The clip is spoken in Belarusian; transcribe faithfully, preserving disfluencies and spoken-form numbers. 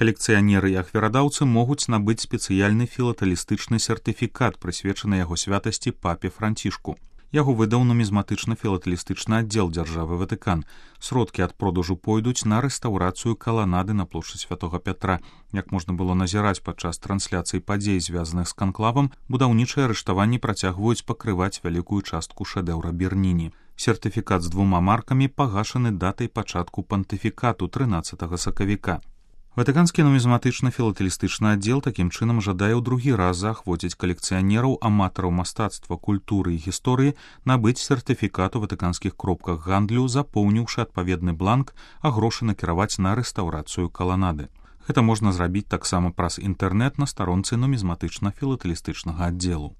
Калекцыянеры і ахвярадаўцы могуць набыць спецыяльны філатэлістычны сертыфікат, прысвечаны яго святасці папе Францішку. Яго выдаў нумізматычна-філатэлістычны аддзел дзяржавы Ватыкан. Сродкі ад продажу пойдуць на рэстаўрацыю каланады на плошчы Святога Пятра. Як можна было назіраць падчас трансляцыі падзей, звязаных з канклавам, будаўнічыя арыштаванні працягваюць пакрываць вялікую частку шэдэўра Берніні. Сертыфікат з двума маркамі пагашаны датай пачатку пантыфікату трынаццатага сакавіка. Ватыканскі нумізматычна-філатэлістычны аддзел такім чынам жадае ў другі раз заахвоціць калекцыянераў, аматараў мастацтва, культуры і гісторыі набыць сертыфікат у ватыканскіх кропках гандлю, запоўніўшы адпаведны бланк, а грошы накіраваць на рэстаўрацыю каланады. Гэта можна зрабіць таксама праз інтэрнэт на старонцы нумізматычна-філатэлістычнага аддзелу.